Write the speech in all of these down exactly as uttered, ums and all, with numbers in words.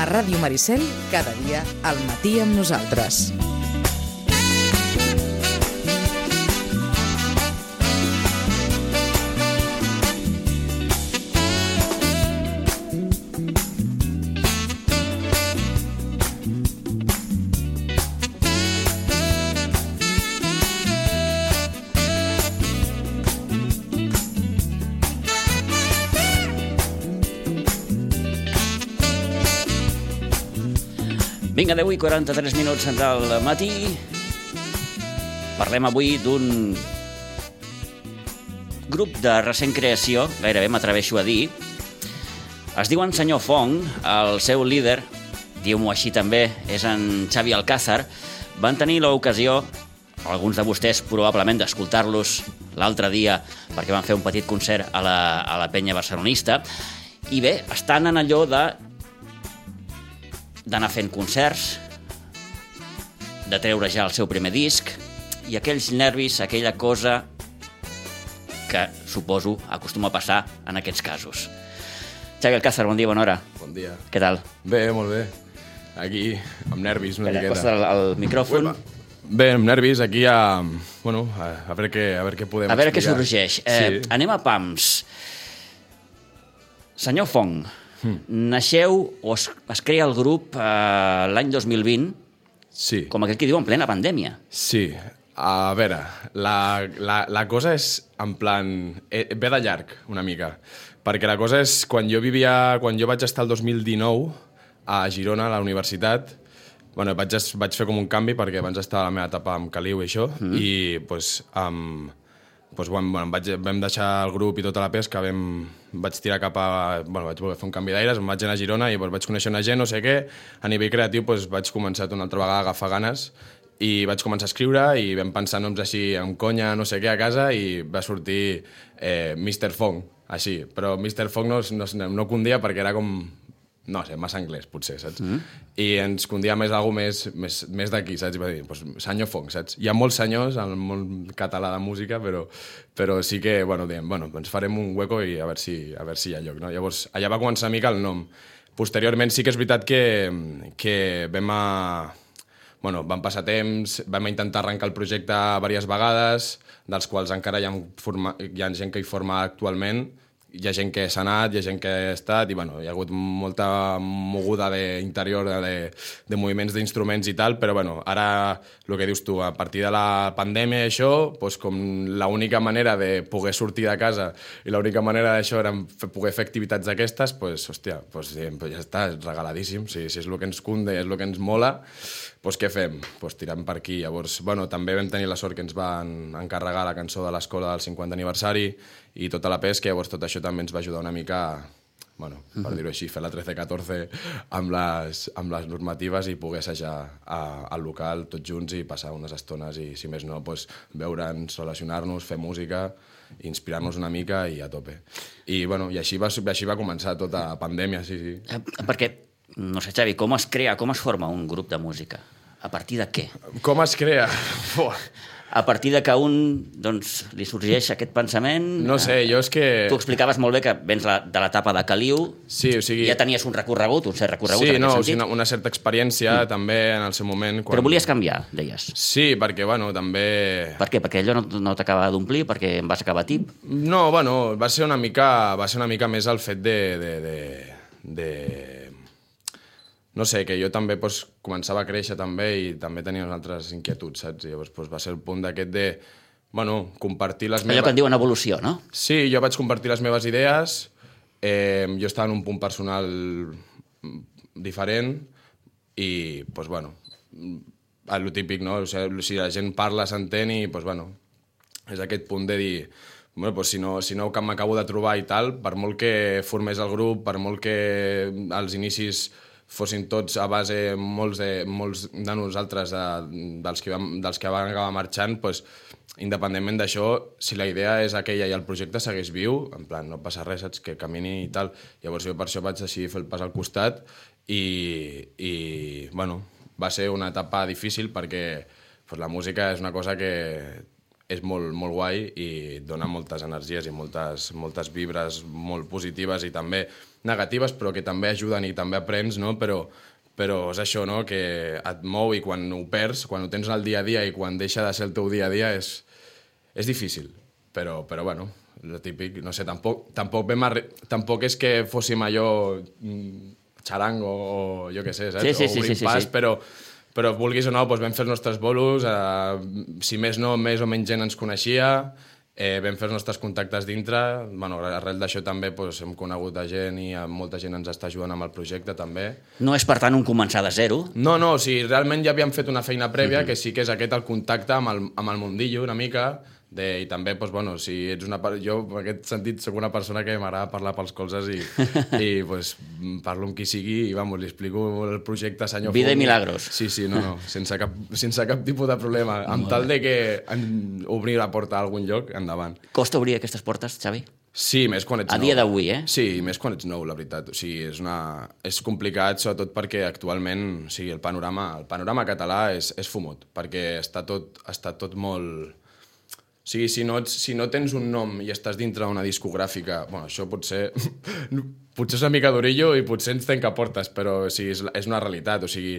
A Ràdio Maricel, cada dia al matí amb nosaltres. Vinga, deu i quaranta-tres minuts del matí. Parlem avui d'un grup de recent creació, gairebé m'atreveixo a dir. Es diuen Senyor Fong, el seu líder, diu-m'ho així també, és en Xavi Alcázar. Van tenir l'ocasió, alguns de vostès probablement, d'escoltar-los l'altre dia perquè van fer un petit concert a la, a la penya barcelonista. I bé, estan en allò de d'anar fent concerts, de treure ja el seu primer disc, i aquells nervis, aquella cosa que, suposo, acostuma a passar en aquests casos. Xavi Alcázar, bon dia, bona hora. Bon dia. Què tal? Bé, molt bé. Aquí, amb nervis una Calla, miqueta. acosta el, el micròfon. Uepa. Bé, amb nervis, aquí a... Bueno, a, a veure què, a veure què podem A veure què explicar. sorgeix. Eh, Sí. Anem a pams. Senyor Fong, naixeu o es, es crea el grup eh, l'any dos mil vint, Sí, com aquell que diu en plena pandèmia. sí. A veure, la, la, la cosa és en plan... Eh, ve de llarg, una mica. Perquè la cosa és, quan jo vivia... Quan jo vaig estar el dos mil dinou a Girona, a la universitat, bueno, vaig, vaig fer com un canvi perquè abans estava a la meva etapa amb Caliu i això, mm. i pues, amb... Doncs, bueno, vaig, vam deixar el grup i tota la pesca, vam, vaig tirar cap a... Bueno, vaig voler fer un canvi d'aires, em vaig anar a Girona i doncs, vaig conèixer una gent, no sé què. A nivell creatiu doncs, vaig començar una altra vegada a agafar ganes i vaig començar a escriure i vam pensar noms així amb conya, no sé què, a casa, i va sortir eh, mister Fong, així. Però mister Fong no, no, no condia perquè era com... No sé, massa anglès, potser, saps? Mm. I ens condia més alguna més, més, més d'aquí, saps? I va dir, doncs, senyor Fong, saps? Hi ha molts senyors al món català de música, però, però sí que, bueno, diem, bueno, doncs farem un hueco i a veure si, a veure si hi ha lloc, no? Llavors, allà va començar una mica el nom. Posteriorment sí que és veritat que, que vam a... Bueno, van passar temps, vam intentar arrencar el projecte diverses vegades, dels quals encara hi ha, forma, hi ha gent que hi forma actualment. Hi ha gent que s'ha anat, hi ha gent que ha estat, i bueno, hi ha hagut molta moguda d'interior, de, de, de moviments d'instruments i tal, però bueno, ara, el que dius tu, a partir de la pandèmia i això, doncs com l'única manera de poder sortir de casa i l'única manera d'això era poder fer activitats d'aquestes, doncs, hòstia, doncs, doncs ja està, és regaladíssim, si, si és el que ens cunde, és el que ens mola, doncs què fem? Doncs tirem per aquí. Llavors, bueno, també vam tenir la sort que ens van encarregar la cançó de l'escola del cinquanta aniversari i tota la pesca, llavors tot això també ens va ajudar una mica a, bueno, per dir-ho així, fer la trece catorze amb les, amb les normatives i poder assajar a, al local tots junts i passar unes estones i, si més no, doncs, veure'ns, relacionar-nos, fer música, inspirar-nos una mica i a tope. I, bueno, i així va, així va començar tota la pandèmia, sí, sí. Eh, perquè, no sé, Xavi, com es crea, com es forma un grup de música? A partir de què? Com es crea? Fuà. A partir de que a un doncs, li sorgeix aquest pensament... No sé, jo és que... Tu explicaves molt bé que vens la, de l'etapa de Caliu, sí, o sigui... ja tenies un recorregut, un cert recorregut sí, en aquest no, sentit. Sí, una, una certa experiència mm. també en el seu moment. Quan... Però volies canviar, deies. Sí, perquè, bueno, també... Per què? Perquè allò no, no t'acaba d'omplir? Perquè em vas acabar tip? No, bueno, va ser una mica, va ser una mica més el fet de... de, de, de... No sé, que jo també doncs, començava a créixer també i també tenia unes altres inquietuds, saps? I llavors doncs, va ser el punt d'aquest de, bueno, compartir les meves... Allò que en diuen evolució, no? Sí, jo vaig compartir les meves idees, eh, jo estava en un punt personal diferent i, doncs, bueno, el típic, no? O sigui, si la gent parla, s'entén i, doncs, bueno, és aquest punt de dir... Bueno, doncs si no, si no que m'acabo de trobar i tal, per molt que formés el grup, per molt que als inicis fossin tots a base, molts de, molts de nosaltres, de, dels, que vam, dels que van acabar marxant, doncs, independentment d'això, si la idea és aquella i el projecte segueix viu, en plan, no passa res, saps, que camini i tal. Llavors jo per això vaig decidir fer el pas al costat i, i bueno, va ser una etapa difícil perquè pues, la música és una cosa que és molt, molt guai i et dona moltes energies i moltes, moltes vibres molt positives i també negatives, però que també ajuden i també aprens, no? Però, però és això, no? Que et mou i quan ho perds, quan ho tens al dia a dia i quan deixa de ser el teu dia a dia és, és difícil. Però, però bueno, el típic, no sé, tampoc, tampoc, vam arri... tampoc és que fóssim allò xarango o jo què sé, saps? Sí, sí, o obrim sí, sí, pas, sí. però, però vulguis o no, doncs vam fer els nostres bolos, eh, si més no, més o menys gent ens coneixia, eh, vam fer els nostres contactes dintre, bueno, arrel d'això també doncs, hem conegut a gent i molta gent ens està ajudant amb el projecte també. No és, per tant, un començar de zero? No, no, o sigui, realment ja havíem fet una feina prèvia, mm-hmm. que sí que és aquest el contacte amb el, amb el mundillo una mica, de, i també, doncs, bueno, si ets una... Jo, en aquest sentit, soc una persona que m'agrada parlar pels colzes i, i doncs, parlo amb qui sigui i, vamos, li explico el projecte senyor Vida Fong. i milagros. Sí, sí, no, no, sense cap, sense cap tipus de problema. Amb tal de que en, obrir la porta a algun lloc, endavant. Costa obrir aquestes portes, Xavi? Sí, més quan ets A nou. dia d'avui, eh? Sí, més quan ets nou, la veritat. O sigui, és, una... és complicat, sobretot perquè actualment o sigui, el panorama, el panorama català és, és fumut, perquè està tot, està tot molt... O sigui, si no, ets, si no tens un nom i estàs dintre d'una discogràfica... Bueno, això potser... potser és una mica d'orillo i potser ens tanca portes, però o sigui, és, és una realitat. O sigui,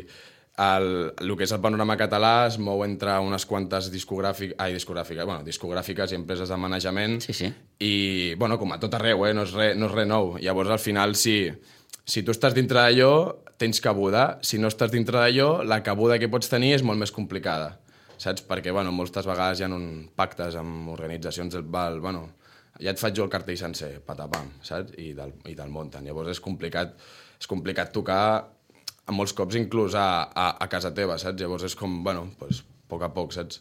el, el que és el panorama català es mou entre unes quantes discogràfiques... Ai, discogràfiques, bueno, discogràfiques i empreses de manejament. Sí, sí. I, bueno, com a tot arreu, eh? No és res no és re nou. Llavors, al final, si, si tu estàs dintre d'allò, tens cabuda. Si no estàs dintre d'allò, la cabuda que pots tenir és molt més complicada. Saps? Perquè, bueno, moltes vegades hi ha un pactes amb organitzacions del val, bueno, ja et faig jo el cartell sencer, patapam, saps? I te'l i te munten. Llavors és complicat, és complicat tocar a molts cops inclús a, a, a casa teva, saps? Llavors és com, bueno, pues, a poc a poc, saps?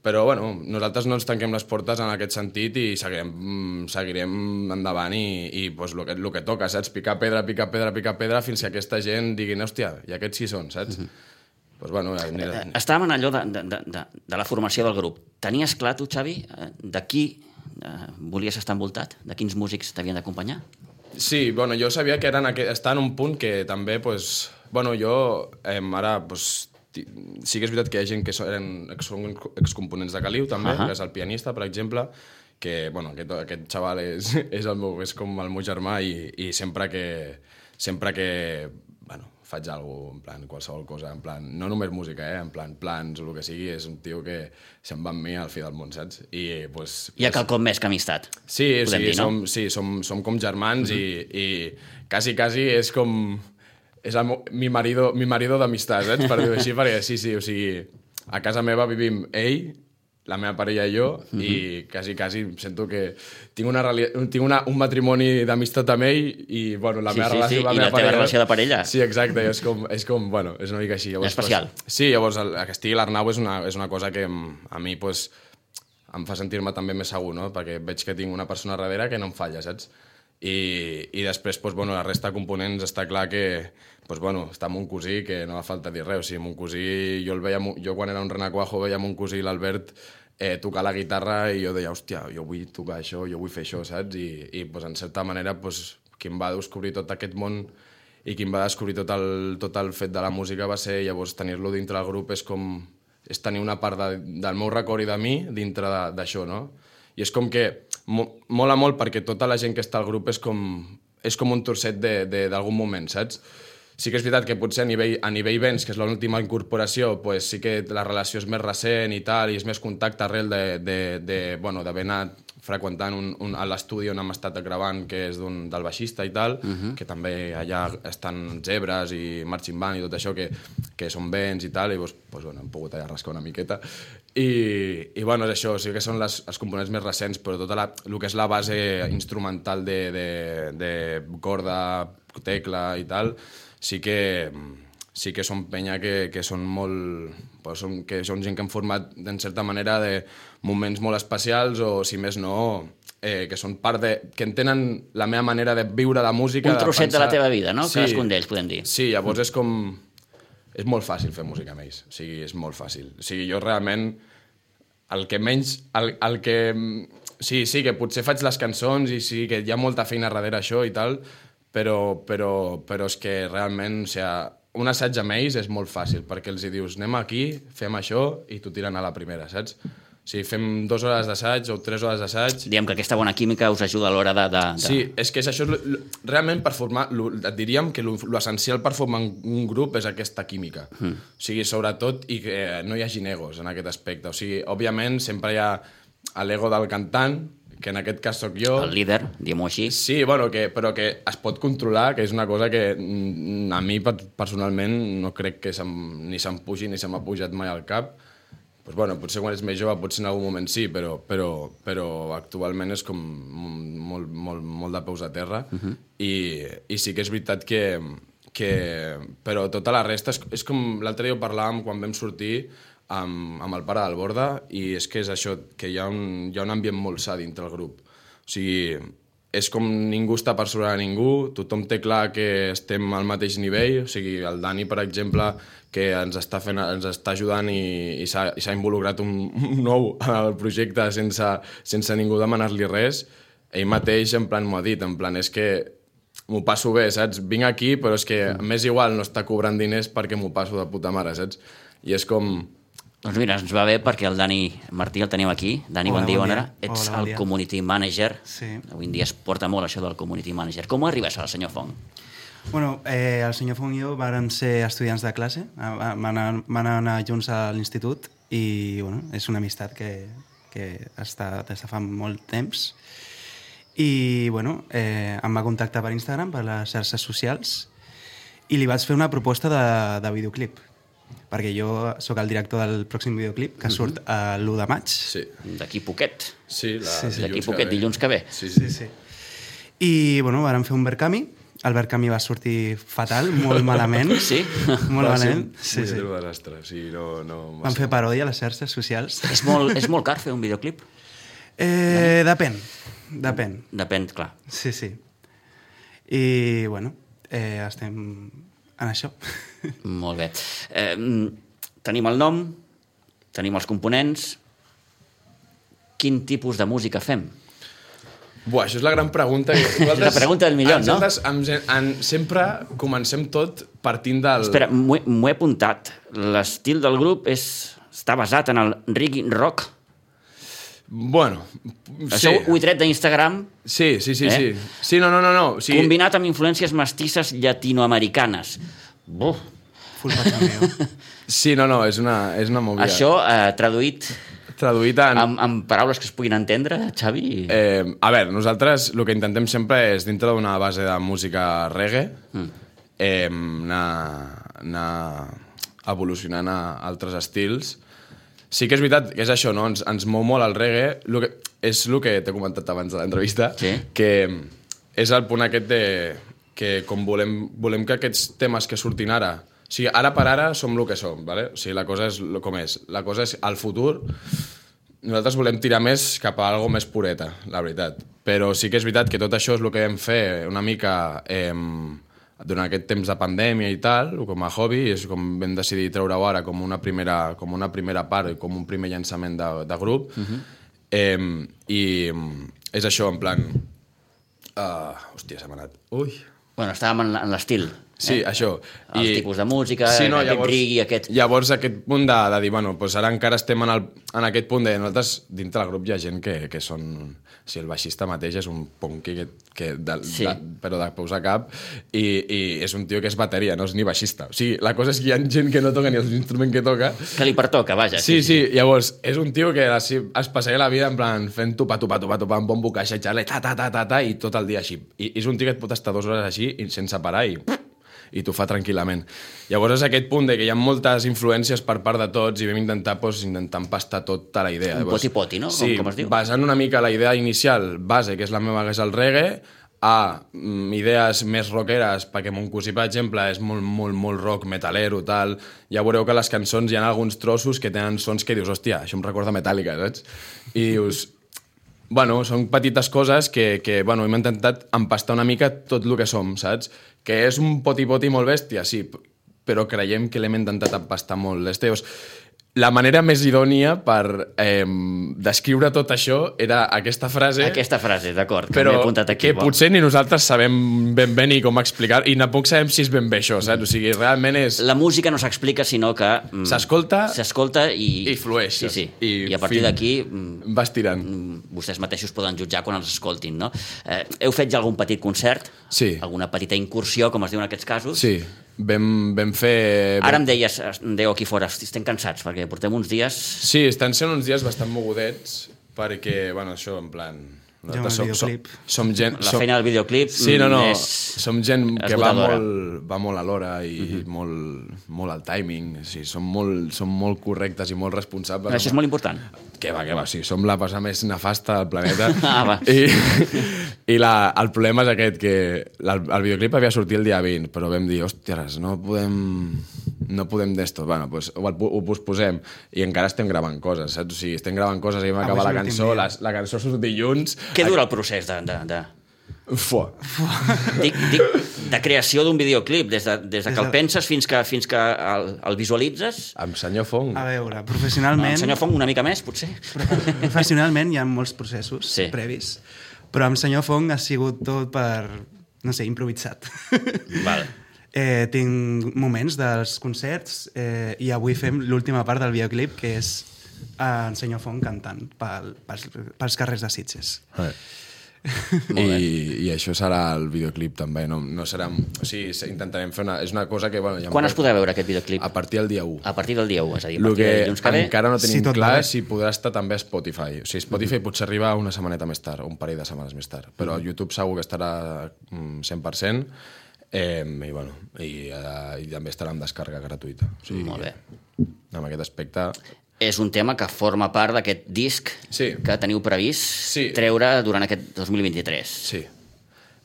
Però, bueno, nosaltres no ens tanquem les portes en aquest sentit i seguirem, seguirem endavant i, i pues, el, que, el que toca, saps? Picar pedra, picar pedra, picar pedra, fins que aquesta gent diguin, hòstia, i aquests sí són, saps? Mm-hmm. Pues bueno, eh, estàvem en allò de, de, de, de la formació del grup. Tenies clar, tu, Xavi, de qui eh, volies estar envoltat? De quins músics t'havien d'acompanyar? Sí, bueno, jo sabia que eren aqu... està en un punt que també, pues, bueno, jo eh, ara, pues, sí que és veritat que hi ha gent que són, són excomponents de Caliu, també, uh-huh. que és el pianista, per exemple, que, bueno, aquest, aquest xaval és, és, el meu, és com el meu germà i, i sempre que, sempre que, bueno, faig alguna cosa, en plan, qualsevol cosa, en plan, no només música, eh, en plan, plans o el que sigui, és un tio que se'n va amb mi al fi del món, saps? I, pues, Hi ha quelcom més que amistat. Sí, sí, dir, no? som, sí som, som com germans mm-hmm. i, i quasi, quasi és com... És el, mi marido, mi marido d'amistat, saps? Per dir-ho així, perquè sí, sí, o sigui, a casa meva vivim ell, la meva parella i jo, mm-hmm. i quasi, quasi sento que tinc, una, tinc una, un matrimoni d'amistat amb ell i, bueno, la sí, meva sí, relació sí. amb la I meva la parella... teva relació de parella. Sí, exacte, és com, és com, bueno, és una mica així. Llavors, especial. Pues, sí, llavors, el, que estigui l'Arnau és una, és una cosa que a mi, pues, em fa sentir-me també més segur, no? Perquè veig que tinc una persona darrere que no em falla, saps? I, i després, pues, bueno, la resta de components està clar que pues, bueno, està mon cosí, que no fa falta dir res. O sigui, mon cosí, jo, el veia, jo quan era un renacuajo veia mon cosí l'Albert eh, tocar la guitarra i jo deia, hòstia, jo vull tocar això, jo vull fer això, saps? I, i pues, en certa manera, pues, qui em va descobrir tot aquest món i qui em va descobrir tot el, tot el fet de la música va ser, llavors, tenir-lo dintre del grup és com... és tenir una part de, del meu record i de mi dintre d'això, no? I és com que mo, mola molt perquè tota la gent que està al grup és com, és com un torset d'algun moment, saps? Sí que és veritat que potser a nivell, a nivell Vents, que és l'última incorporació, pues sí que la relació és més recent i tal, i és més contacte arrel de, de, de, bueno, d'haver anat freqüentant un, un, a l'estudi on hem estat gravant, que és d'un, del baixista i tal, uh-huh. que també allà estan Zebres i Marching Band i tot això, que, que són Vents i tal, i doncs, pues, bueno, hem pogut allà rascar una miqueta. I, i bueno, és això, sí que són les, els components més recents, però tota la, el que és la base instrumental de, de, de corda, tecla i tal, sí que, sí que són penya que, que són molt... Pues són, que són gent que han format, en certa manera, de moments molt especials o, si més no, eh, que són part de... que entenen la meva manera de viure la música... Un trosset de, de la teva vida, no? Sí, cadascun d'ells, podem dir. Sí, llavors és com... És molt fàcil fer música amb ells. O sigui, és molt fàcil. O sigui, jo realment... El que menys... El, el que... Sí, sí, que potser faig les cançons i sí, que hi ha molta feina darrere això i tal, però, però, però és que realment, o sigui, un assaig amb ells és molt fàcil, perquè els hi dius, anem aquí, fem això, i t'ho tiren a la primera, saps? O sigui, fem dues hores d'assaig o tres hores d'assaig. Diguem que aquesta bona química us ajuda a l'hora de, de, de... Sí, és que és això, és lo, lo, realment per formar, lo, et diríem que l'essencial per formar un grup és aquesta química. Mm. O sigui, sobretot, i que no hi hagi egos en aquest aspecte. O sigui, òbviament, sempre hi ha l'ego del cantant, que en aquest cas sóc jo. El líder, diguem-ho així. Sí, bueno, que, però que es pot controlar, que és una cosa que a mi personalment no crec que se'm, ni se'm pugi ni se m'ha pujat mai al cap. Pues bueno, potser quan ets més jove, potser en algun moment sí, però, però, però actualment és com molt, molt, molt de peus a terra. Uh-huh. I, i sí que és veritat que... que però tota la resta és, és com l'altre dia ho parlàvem quan vam sortir amb, amb el pare del Borda, i és que és això, que hi ha un, hi ha un ambient molt sa dintre el grup. O sigui, és com ningú està per sobre de ningú, tothom té clar que estem al mateix nivell, o sigui, el Dani, per exemple, que ens està, fent, ens està ajudant i, i s'ha involucrat un, un nou al projecte sense, sense ningú demanar-li res, ell mateix en plan m'ho ha dit, en plan és que m'ho passo bé, saps? Vinc aquí, però és que m'és igual no està cobrant diners perquè m'ho passo de puta mare, saps? I és com... Doncs mira, ens va bé perquè el Dani Martí el tenim aquí. Dani, Hola, bon dia, bon bona dia. hora. Ets Hola, bon el dia. community manager. Sí. Avui en dia es porta molt això del community manager. Com arribes al senyor Fong? Bueno, eh, el senyor Fong i jo vàrem ser estudiants de classe, vam anar, van anar junts a l'institut i bueno, és una amistat que, que està des de fa molt temps. I bueno, eh, em va contactar per Instagram, per les xarxes socials, i li vaig fer una proposta de, de videoclip, perquè jo sóc el director del pròxim videoclip, que surt uh, l'u de maig. Sí. D'aquí poquet. Sí, la, Sí, sí. D'aquí poquet, dilluns que ve. Sí, sí. Sí, sí. I bueno, vàrem fer un Verkami. El Verkami va sortir fatal, molt malament. Sí? Molt Va ser malament. un Sí, sí. punyetero desastre. Sí, no, no, va Vam ser- fer paròdia a les xarxes socials. És molt, és molt car fer un videoclip? Eh, depèn, depèn. Depèn, clar. Sí, sí. I, bueno, eh, estem en això. Molt bé. Eh, tenim el nom, tenim els components. Quin tipus de música fem? Buah, això és la gran pregunta. Nosaltres, la pregunta del milió, no? Nosaltres en, en, sempre comencem tot partint del... Espera, m'ho he, m'ho he apuntat. L'estil del grup és, està basat en el reggae rock. Bueno, Això sí. ho he tret d'Instagram, Sí, sí, sí, Eh? sí. Sí, no, no, no, no. O sigui, combinat amb influències mestisses llatinoamericanes. Buf. Full pachangueo. sí, no, no, és una, és una movida. Això, eh, traduït Traduït en... amb, amb paraules que es puguin entendre, Xavi... Eh, a veure, nosaltres el que intentem sempre és, dintre d'una base de música reggae, mm. eh, anar, anar evolucionant a altres estils. Sí que és veritat que és això, no? Ens, ens mou molt el reggae. Lo que, és el que t'he comentat abans de l'entrevista, Sí. que és el punt aquest de que com volem, volem que aquests temes que surtin ara... O sigui, ara per ara som el que som, ¿vale? O sigui, la cosa és lo com és. La cosa és, al futur, nosaltres volem tirar més cap a algo més pureta, la veritat. Però sí que és veritat que tot això és el que vam fer una mica eh, durant aquest temps de pandèmia i tal, com a hobby, és com vam decidir treure-ho ara com una primera, com una primera part, com un primer llançament de, de grup. Uh-huh. eh, I és això, en plan... Uh, hòstia, se m'ha anat. Ui... Bueno, estàvem en, en l'estil. Sí, eh? això. Els I... tipus de música, sí, no, aquest rigui, aquest... Llavors, aquest punt de, de dir, bueno, doncs ara encara estem en, el, en aquest punt de... Nosaltres, dintre del grup hi ha gent que, que són... O sigui, el baixista mateix és un punky que, que de, Sí. de, però de peus a cap, i, i és un tio que és bateria, no és ni baixista. O sigui, la cosa és que hi ha gent que no toca ni l'instrument que toca. Que li pertoca, vaja. Sí, sí, llavors, és un tio que es, es passaria la vida en plan fent tupa, tupa, tupa, tupa, amb bombo, caixa, xale, ta, ta, ta, ta, ta, i tot el dia així. I, i és un tio que et pot estar dues hores així i sense parar i... i t'ho fa tranquil·lament. Llavors és aquest punt de que hi ha moltes influències per part de tots i vam intentar, doncs, intentar empastar tota la idea. Un Llavors, poti-poti, no? Sí, Com, com es diu? basant una mica la idea inicial, base, que és la meva, que és el reggae, a mm, idees més rockeres, perquè mon cosí, per exemple, és molt, molt, molt rock, metalero, tal. Ja veureu que a les cançons hi ha alguns trossos que tenen sons que dius, hòstia, això em recorda Metallica, saps? I dius... Bueno, són petites coses que, que bueno, hem intentat empastar una mica tot el que som, saps? Que és un poti-poti molt bèstia, sí, però creiem que l'hem intentat empastar molt. Llavors, la manera més idònia per eh, descriure tot això era aquesta frase... Aquesta frase, d'acord, que però m'he apuntat aquí. que potser ni nosaltres sabem ben bé ni com explicar, i tampoc sabem si és ben bé això, saps? O sigui, realment és... La música no s'explica, sinó que... mm, S'escolta S'escolta i... i flueix. Sí, sí. I, I a partir fin, d'aquí... mm, vas tirant. mm, vostès mateixos poden jutjar quan els escoltin, no? Eh, heu fet ja algun petit concert? Sí. Alguna petita incursió, com es diu en aquests casos? Sí, vam, vam fer... Ara em deies, em dèieu aquí fora, hosti, estem cansats, perquè portem uns dies... Sí, estan sent uns dies bastant mogudets, perquè, bueno, això, en plan... Jo amb el som, som, videoclip. som gent... La som, feina del videoclip Sí, no, no, és som gent que va esgotadora. molt, va molt a l'hora i uh -huh. molt, molt al timing, o sigui, som molt, som molt correctes i molt responsables. Això és molt important. Que va, que va, sí, som la persona més nefasta del planeta. Ah, va. I, i la, el problema és aquest, que la, el videoclip havia sortit el dia vint, però vam dir, hòsties, no podem... no podem d'esto, bueno, pues, ho, ho posposem, i encara estem gravant coses, saps? O sigui, estem gravant coses, i vam acabar la cançó, la, la cançó surt dilluns... Què dura el procés de... de, de... Fua. Dic, dic, de creació d'un videoclip, des de, des de que el penses fins que, fins que el, el visualitzes? Amb senyor Fong. A veure, El professionalment... senyor Fong una mica més, potser? Professionalment hi ha molts processos Sí. previs, però amb senyor Fong ha sigut tot per, no sé, improvisat. Val. Eh, tinc moments dels concerts eh, i avui fem l'última part del videoclip, que és eh, en senyor Fong cantant pel, pels, pels carrers de Sitges. Eh. I, I això serà el videoclip també, no, no serà... O sigui, intentarem fer una... És una cosa que... Bueno, ja Quan es podrà veure aquest videoclip? A partir del dia u. A partir del dia u, és a dir, a El partir que de dilluns que ve... encara no tenim Si tot clar va bé. és si podrà estar també a Spotify. O sigui, Spotify mm. potser arriba una setmaneta més tard, o un parell de setmanes més tard, però mm. YouTube segur que estarà mm, cent per cent, eh, i, bueno, i, eh, i també estarà en descàrrega gratuïta. O sigui, Molt bé. En aquest aspecte... És un tema que forma part d'aquest disc Sí. que teniu previst Sí. treure durant aquest dos mil vint-i-tres. Sí.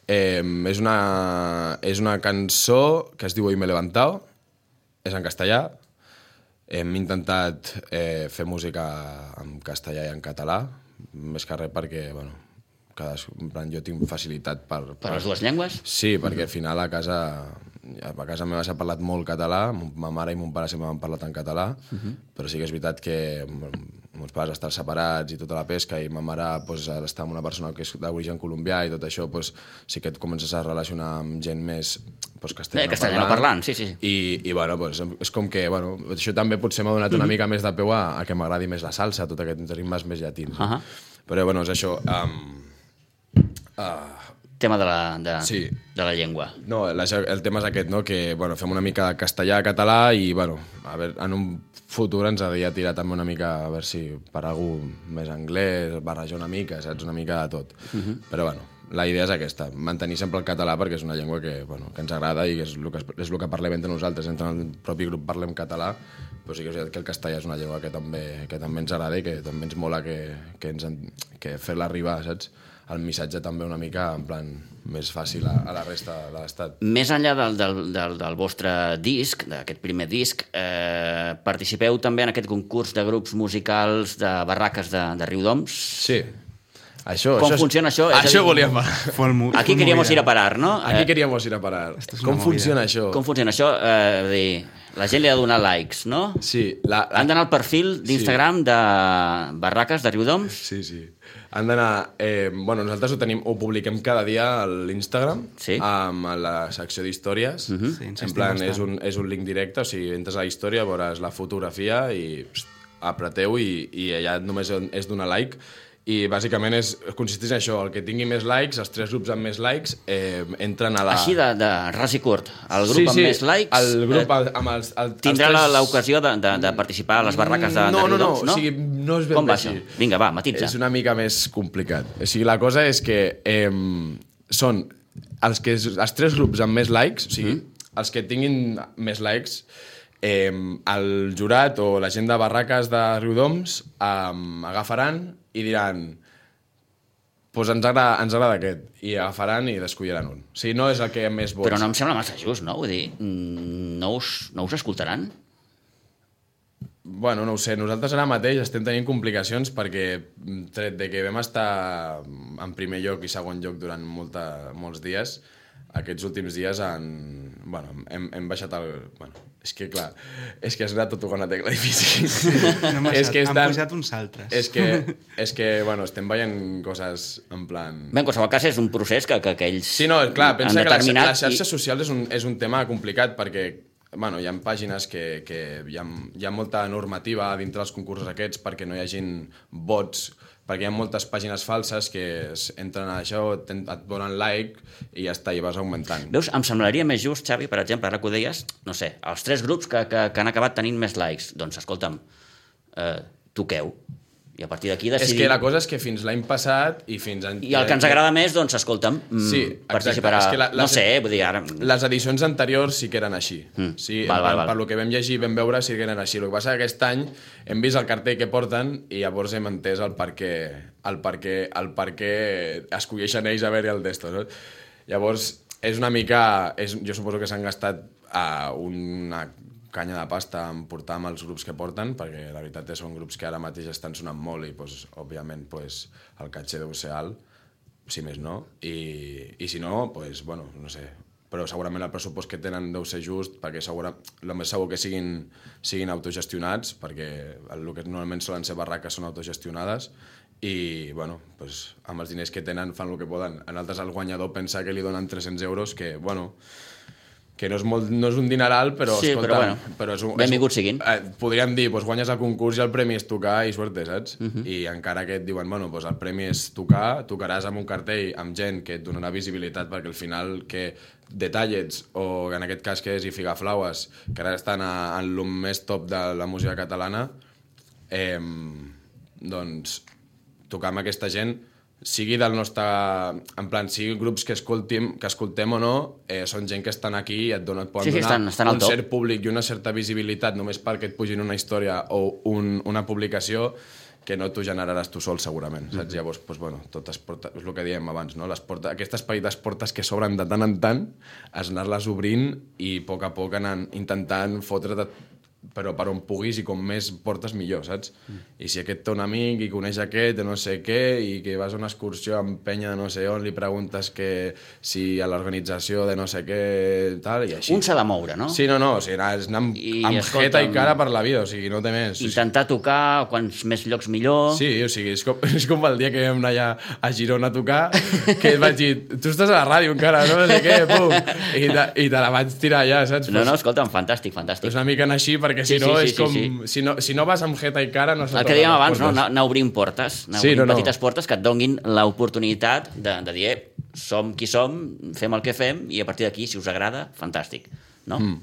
Eh, és, una, és una cançó que es diu Hoy me he levantado, és en castellà. Hem intentat eh, fer música en castellà i en català, més que res perquè, bueno, cada, en plan, jo tinc facilitat per... Per les dues llengües? Sí, perquè al final a casa, a casa meva s'ha parlat molt català, ma mare i mon pare sempre m'han parlat en català, uh -huh. però sí que és veritat que meus pares estan separats i tota la pesca, i ma mare pues, està amb una persona que és d'origen colombià i tot això, pues, sí que et comences a relacionar amb gent més pues, castellano, Eh, castellano parlant, sí, sí. I, i bueno, pues, és com que bueno, això també potser m'ha donat una uh -huh. mica més de peu a, a que m'agradi més la salsa, tot aquests ritmes més llatins. Uh -huh. Però bueno, és això... Um, uh, Tema de la, de, Sí. de la llengua. No, la, el tema és aquest, no? Que bueno, fem una mica de castellà, català, i bueno, a veure, en un futur ens hauria tirar també una mica, a veure si per algú més anglès, barrejar una mica, saps? Una mica de tot. Uh -huh. Però bueno, la idea és aquesta, mantenir sempre el català, perquè és una llengua que, bueno, que ens agrada i és el que, és el que parlem entre nosaltres. Entre el propi grup parlem català, però sí que és veritat que el castellà és una llengua que també, que també ens agrada i que també ens mola que, que, ens, que fer-la arribar, saps? El missatge també una mica en plan més fàcil a, a la resta de l'estat. Més enllà del, del, del, del vostre disc, d'aquest primer disc, eh, participeu també en aquest concurs de grups musicals de barraques de, de Riudoms? Sí. Això, Com això funciona això? És a Això dir, volíem parlar. Full mo- Aquí full queríamos movida. ir a parar, no? Aquí Eh, queríamos ir a parar. Esto es Com una funciona movida. això? Com funciona això? Eh, és a dir, la gent li ha de donar likes, no? Sí, la, la... Han d'anar al perfil d'Instagram de barraques de Riudoms? Sí, sí. Han d'anar... Eh, bueno, nosaltres ho, tenim, ho publiquem cada dia a l'Instagram, Sí. amb la secció d'històries. Mhm. Sí, En insistim plan, bastant. és un, és un link directe, o sigui, entres a la història, veuràs la fotografia i pst, apreteu i, i allà només és donar like. I bàsicament és, consisteix en això, el que tingui més likes, els tres grups amb més likes, eh, entren a la... Així de, de ras i curt. El grup sí, amb sí, més likes el grup eh, amb els, el, tindrà els tres... l'ocasió de, de, de participar a les barraques de, no, de Riudoms, no, no, no? o sigui, no és ben Com bé va així. això? Vinga, va, matitza. És una mica més complicat. O sigui, la cosa és que eh, són els, que, els tres grups amb més likes, o sigui, mm. els que tinguin més likes, eh, el jurat o la gent de barraques de Riudoms eh, agafaran i diran pues ens agrada, ens agrada aquest, i agafaran i descolliran un. O sigui, no és el que més vots. Però no em sembla massa just, no? Vull dir, mm, no us, no us escoltaran? Bueno, no ho sé, nosaltres ara mateix estem tenint complicacions perquè, tret de que vam estar en primer lloc i segon lloc durant molta, molts dies, aquests últims dies han... Bueno, hem, hem baixat el... Bueno, és que, clar, és que has anat a tocar una tecla difícil. No hem és que han estan... posat uns altres. És que, és que, bueno, estem veient coses en plan... Bé, en qualsevol cas és un procés que, que, que ells sí, no, clar, han pensa que les, determinat... les xarxes i... socials és un, és un tema complicat perquè bueno, hi ha pàgines que, que hi, ha, hi ha molta normativa dintre dels concursos aquests perquè no hi hagin bots, perquè hi ha moltes pàgines falses que entren a això, et donen like i ja està, i vas augmentant. Veus, em semblaria més just, Xavi, per exemple, ara que ho deies, no sé, els tres grups que, que, que han acabat tenint més likes, doncs, escolta'm, eh, toqueu, i a partir d'aquí decidim... És que la cosa és que fins l'any passat i fins... En... I el que ens agrada més, doncs, escolta'm, sí, participarà... És que la, les, no sé, vull dir, ara... Les edicions anteriors sí que eren així. Mm. Sí, val, val, val. Per lo que vam llegir i vam veure sí que eren així. El que passa és que aquest any hem vist el cartell que porten i llavors hem entès el per què, el per què, el per què escolleixen ells a veure el d'estos. No? Llavors, és una mica... És, jo suposo que s'han gastat uh, una canya de pasta en portar amb els grups que porten, perquè la veritat és que són grups que ara mateix estan sonant molt i, pues, òbviament, pues, el caché deu ser alt, si més no, i, i si no, pues, bueno, no sé, però segurament el pressupost que tenen deu ser just, perquè segura, el més segur que siguin, siguin autogestionats, perquè el que normalment solen ser barraques són autogestionades, i, bueno, pues, amb els diners que tenen fan el que poden. En altres el guanyador pensa que li donen tres-cents euros, que, bueno... que no és, molt, no és un dineral, però, sí, escolta... però, bueno, però és un, benvinguts siguin. Eh, podríem dir, pues, guanyes el concurs i el premi és tocar i suerte, saps? Uh Mhm. -huh. I encara que et diuen, bueno, pues, el premi és tocar, tocaràs amb un cartell amb gent que et donarà visibilitat, perquè al final que Detallets, o en aquest cas que és I Figaflaues, que ara estan a, en el més top de la música catalana, eh, doncs tocar amb aquesta gent, sigui del nostre... En plan, sigui grups que escoltem, que escoltem o no, eh, són gent que estan aquí i et, donen, et poden sí, sí, donar estan, estan un cert públic i una certa visibilitat només perquè et pugin una història o un, una publicació que no t'ho generaràs tu sol, segurament. Saps? Mm-hmm. Llavors, doncs, bueno, tot es porta, és el que dèiem abans, no? Les portes, aquestes petites portes que s'obren de tant en tant, es anar-les obrint i a poc a poc anar intentant fotre't, però per on puguis i com més portes millor, saps? Mm. I si aquest té un amic i coneix aquest de no sé què i que vas a una excursió amb penya de no sé on, li preguntes que si a l'organització de no sé què, tal, i així. Un s'ha de moure, no? Sí, no, no, o sigui, és anar amb, I, amb escolta, jeta i cara per la vida, o sigui, no té més. Intentar tocar, quants més llocs millor... Sí, o sigui, és com, és com el dia que vam anar allà a Girona a tocar, que et vaig dir, tu estàs a la ràdio encara, no, no sé què, pum, i te, i te la vaig tirar allà, saps? No, no, escolta'm, fantàstic, fantàstic. És una mica anar així, perquè si sí, no sí, és sí, com... sí, sí. Si, no, si no vas amb jeta i cara... No el que dèiem abans, no? anar obrint portes, anar sí, obrint no, no. petites portes que et donguin l'oportunitat de, de dir, eh, som qui som, fem el que fem, i a partir d'aquí, si us agrada, fantàstic, no? Mm.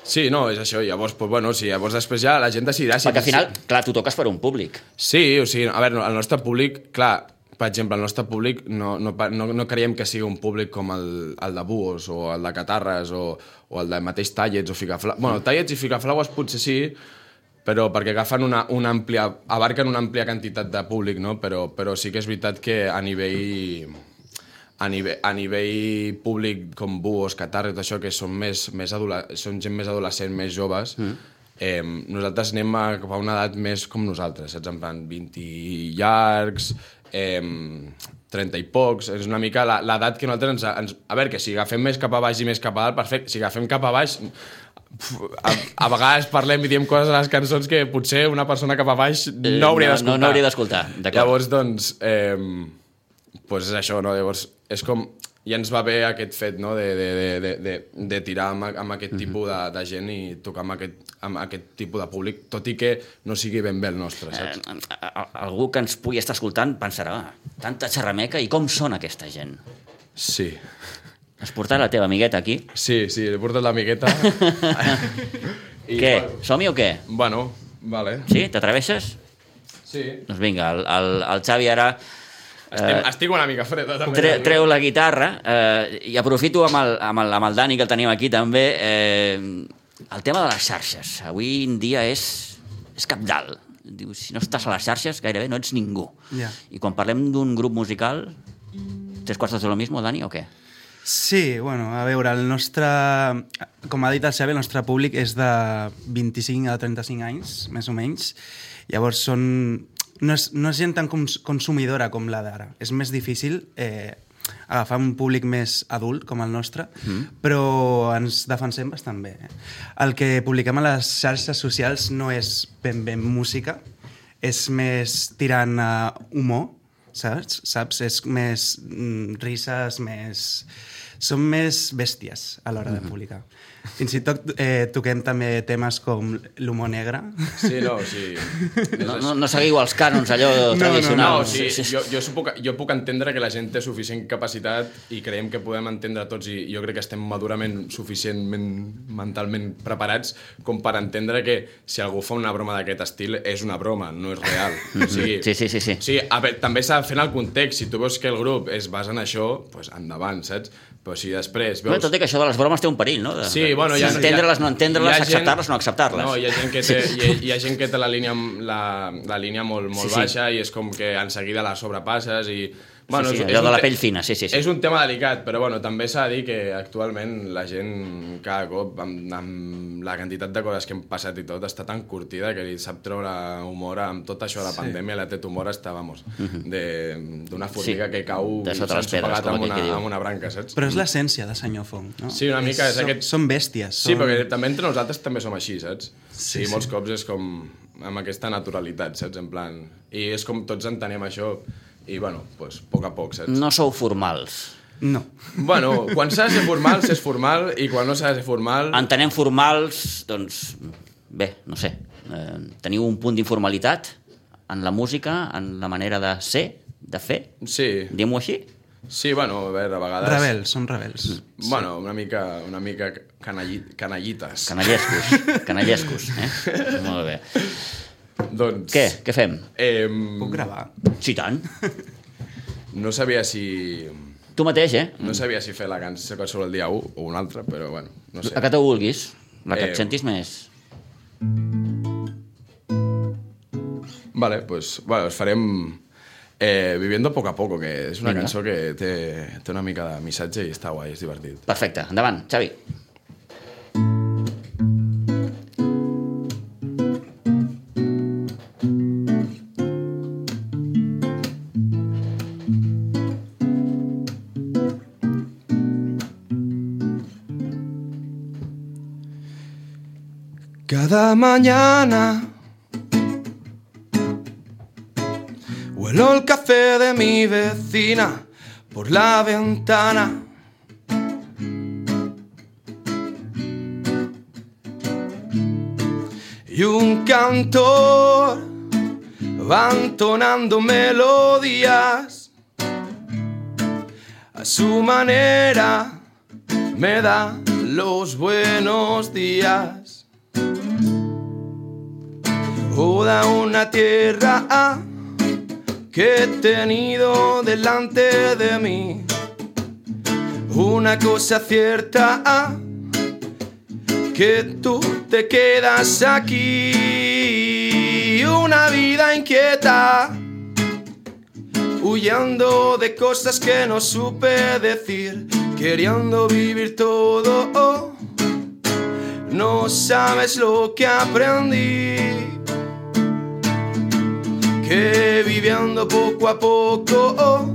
Sí, no, és això. Llavors, pues, bueno, sí, llavors després ja la gent decidirà... Si Perquè al final, clar, tu toques per un públic. Sí, o sigui, a veure, el nostre públic, clar, per exemple, el nostre públic no, no, no, no creiem que sigui un públic com el, el de Buos o el de Catarres o, o el de mateix Tallets o Figaflaues. Bueno, Tallets i Figaflaues potser sí, però perquè agafen una, una àmplia, abarquen una àmplia quantitat de públic, no? Però, però sí que és veritat que a nivell, a nivell, a nivell públic com Buos, Catarres, tot això, que són, més, més són gent més adolescent, més joves, mm. eh, nosaltres anem a, cap a una edat més com nosaltres, saps? En plan, vint llargs, eh, trenta i pocs, és una mica l'edat que nosaltres ens, ens... A veure, que si agafem més cap a baix i més cap a dalt, perfecte, si agafem cap a baix... A, a vegades parlem i diem coses a les cançons que potser una persona cap a baix no hauria d'escoltar. No, no hauria d'escoltar, d'acord. Llavors, doncs, eh, pues és això, no? Llavors, és com... Ja ens va bé aquest fet, no?, de, de, de, de, de tirar amb, amb aquest tipus de, de gent i tocar amb aquest, amb aquest tipus de públic, tot i que no sigui ben bé el nostre, saps? Eh, algú que ens pugui estar escoltant pensarà, tanta xerrameca, i com són aquesta gent? Sí. Has portat la teva amigueta aquí? Sí, sí, he portat l'amigueta. I, què? Som-hi o què? Bueno, vale. Sí? T'atreveixes? Sí. Doncs vinga, el, el, el Xavi ara... Estic, uh, estic una mica freda, també. Tre, treu la guitarra uh, i aprofito amb el, amb, el, amb el Dani, que el tenim aquí també, eh, el tema de les xarxes. Avui en dia és, és cabdal. Diu, si no estàs a les xarxes, gairebé no ets ningú. Yeah. I quan parlem d'un grup musical, tres quarts de lo mismo, Dani, o què? Sí, bueno, a veure, el nostre... Com ha dit el Xavi, el nostre públic és de vint-i-cinc a trenta-cinc anys, més o menys. Llavors són... No és, no és gent tan cons consumidora com la d'ara. És més difícil eh, agafar un públic més adult com el nostre, mm. però ens defensem bastant bé. Eh? El que publiquem a les xarxes socials no és ben ben música, és més tirant a humor, saps? saps? És més mm, risses, més... Som més bèsties a l'hora de publicar. Fins i tot eh, toquem també temes com l'humor negre. Sí, no, sí. No, no, no seguiu els cànons allò tradicional. No, no, sí, jo, jo, puc, jo puc entendre que la gent té suficient capacitat i creiem que podem entendre tots i jo crec que estem madurament suficientment mentalment preparats com per entendre que si algú fa una broma d'aquest estil és una broma, no és real. O sigui, sí, sí, sí, sí. O sigui, a veure, també s'ha de fer en el context. Si tu veus que el grup es basa en això, doncs endavant, saps? Però si després veus... Bueno, tot i que això de les bromes té un perill, no? De, sí, bueno... Sí, entendre-les, no entendre-les, acceptar-les, no acceptar-les. No, hi ha gent que té, hi ha, hi ha, gent que té la línia, la, la línia molt, molt sí, baixa sí. I és com que en seguida la sobrepasses i... Bueno, sí, sí, és, allò és de la te... pell fina, sí, sí, sí. És un tema delicat, però bueno, també s'ha de dir que actualment la gent cada cop, amb, amb la quantitat de coses que hem passat i tot, està tan curtida que li sap treure humor amb tot això de la sí. pandèmia, la té humor està, vamos, d'una formiga sí. que cau s'ensopegat amb, una, amb una branca, saps? Però és l'essència de Senyor Fong, no? Sí, una mica és, és aquest... Són bèsties. Sí, són... perquè també entre nosaltres també som així, saps? Sí, sí, molts sí. cops és com amb aquesta naturalitat, saps? En plan... I és com tots entenem això... I, bueno, pues, a poc a poc, saps? No sou formals. No. Bueno, quan s'ha de ser formal, s'és formal, i quan no s'ha de ser formal... Entenem formals, doncs, bé, no sé, eh, teniu un punt d'informalitat en la música, en la manera de ser, de fer? Sí. Diguem-ho així? Sí, bueno, a veure, a vegades... Rebels, som rebels. Bueno, una mica, una mica canalli... canallites. Canallescos, canallescos, eh? Molt bé. Doncs... Què? Què fem? Eh, Puc gravar? Sí, tant. No sabia si... Tu mateix, eh? No sabia si fer la cançó sobre el dia u o un altre, però bueno, no sé. La que te vulguis, la que eh... et sentis més. Vale, pues, bueno, us farem eh, Viviendo poco a poco, que és una Vinga. cançó que té, té una mica de missatge i està guai, és divertit. Perfecte, endavant, Xavi. Cada mañana huelo el café de mi vecina por la ventana. Y un cantor va entonando melodías a su manera, me da los buenos días. Oda una tierra que he tenido delante de mí. Una cosa cierta, que tú te quedas aquí. Una vida inquieta, huyendo de cosas que no supe decir, queriendo vivir todo. No sabes lo que aprendí, que viviendo poco a poco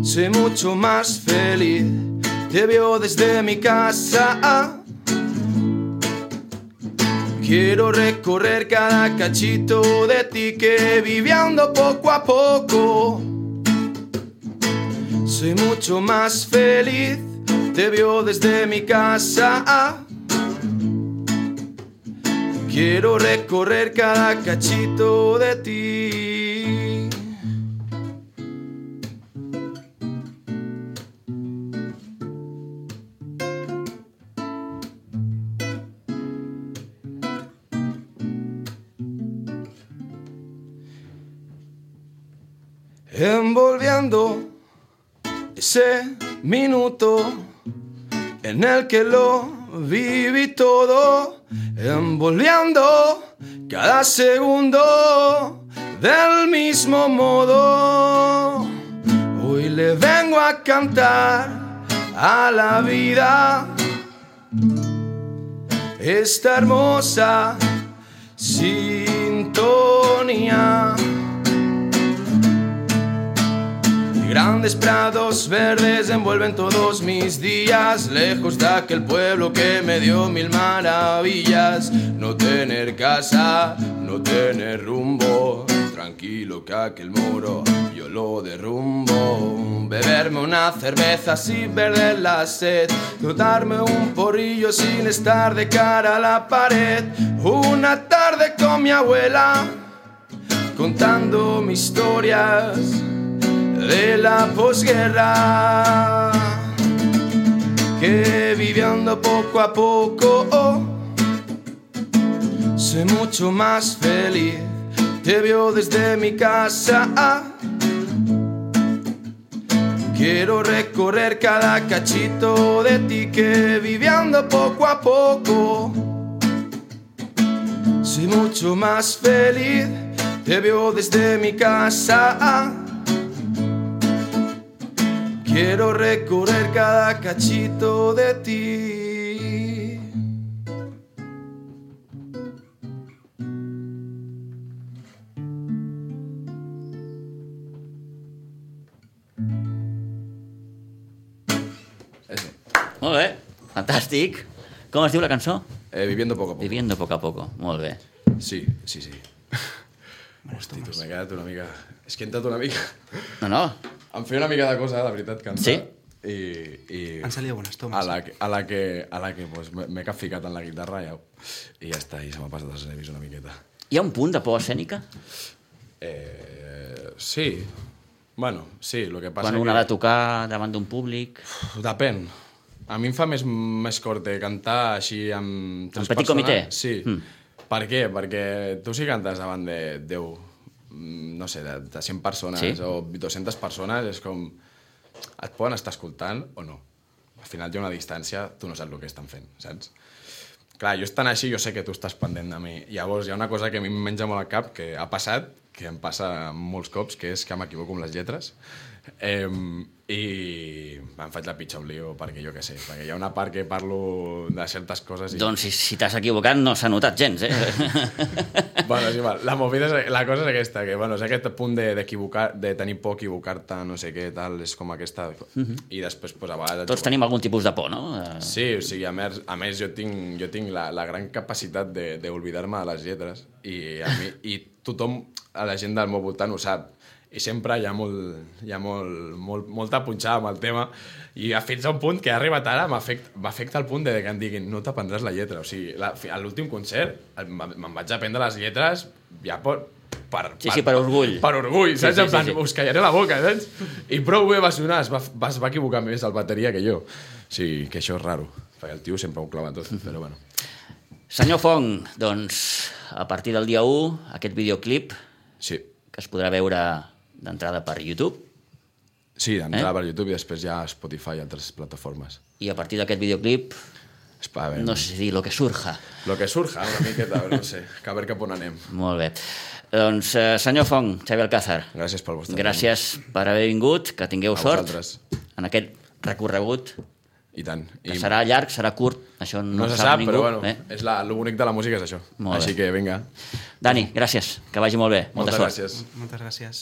soy mucho más feliz. Te veo desde mi casa, quiero recorrer cada cachito de ti, que viviendo poco a poco soy mucho más feliz. Te veo desde mi casa, quiero recorrer cada cachito de ti. Envolviendo ese minuto en el que lo viví todo, envolviendo cada segundo del mismo modo. Hoy le vengo a cantar a la vida esta hermosa sintonía. Grandes prados verdes envuelven todos mis días, lejos de aquel pueblo que me dio mil maravillas. No tener casa, no tener rumbo, tranquilo que aquel muro yo lo derrumbo. Beberme una cerveza sin perder la sed, darme un porrillo sin estar de cara a la pared. Una tarde con mi abuela contando mis historias de la posguerra, que viviendo poco a poco oh, soy mucho más feliz. Te veo desde mi casa, ah, quiero recorrer cada cachito de ti, que viviendo poco a poco soy mucho más feliz. Te veo desde mi casa, ah, quiero recorrer cada cachito de ti. Eso. Molt bé, fantàstic. Com es diu la cançó? Eh, viviendo poco a poco. Viviendo poco a poco, molt bé. Sí, sí, sí. Hosti, tu, m'he quedat una mica... És que he entrat una mica... No, no. Em feia una mica de cosa, la veritat, cantar. Sí? I, i Han salido buenas tomas. a la, que- a la que, a la que pues, m'he m'he capficat en la guitarra i, i ja està, i se m'ha passat els nervis una miqueta. Hi ha un punt de por escènica? Eh, sí, bueno, sí, el que passa Quan un que... ha de tocar davant d'un públic... Depèn. A mi em fa més, més corte cantar així amb tres En petit persones. comitè? Sí. Mm. Per què? Perquè tu si cantes davant de deu, no sé, de, de cent persones Sí. o dues-centes persones, és com... Et poden estar escoltant o no. Al final hi ha una distància, tu no saps el que estan fent, saps? Clar, jo estant així, jo sé que tu estàs pendent de mi. Llavors, hi ha una cosa que a mi em menja molt al cap, que ha passat, que em passa molts cops, que és que m'equivoco amb les lletres. Eh, I em faig la pitjor lío, perquè jo què sé, perquè hi ha una part que parlo de certes coses i... Doncs si, si t'has equivocat no s'ha notat gens, eh? Bueno, és igual. La movida és, la cosa és aquesta, que bueno, és aquest punt de, d'equivocar, de tenir por, equivocar-te, no sé què, tal, és com aquesta... I després, pues, a vegades... Tots tenim algun tipus de por, no? Eh, Sí, o sigui, a més, a més jo tinc, jo tinc la, la gran capacitat de- d'oblidar-me de, de les lletres i, a mi, i tothom, a la gent del meu voltant ho sap. I sempre hi ha, molt, hi ha molt, molt, molta punxada amb el tema i fins a un punt que ha arribat ara m'afecta, m'afecta el punt de que em diguin no t'aprendràs la lletra. O sigui, la, a l'últim concert el- me'n vaig aprendre les lletres ja per... per Sí, sí, per orgull. Per orgull, saps? Sí, sí, En plan, sí, sí. us callaré la boca, saps? I prou bé va sonar, es va, va, es va equivocar més el bateria que jo. O sigui, que això és raro, perquè el tio sempre ho clava tot, però bueno. Senyor Fong, doncs, a partir del dia u, aquest videoclip Sí, que es podrà veure d'entrada per YouTube sí, d'entrar Eh? per YouTube i després ja a Spotify i altres plataformes. i a partir d'aquest videoclip, És pa, a veure, no sé dir, lo que surja. lo que surja, una miqueta, no sé, que a veure cap on anem. Molt bé. Doncs, eh, senyor Fong, Xavi Alcázar, Gràcies pel vostre gràcies per haver vingut, que tingueu A sort vosaltres. en aquest recorregut, temps. I tant. que I serà llarg, serà curt, això no, no se sap sap, ningú. però bueno, eh? és la, lo bonic de la música és això. Molt Així bé. que vinga. Dani, gràcies, que vagi molt bé, molta Moltes sort. gràcies. Moltes gràcies.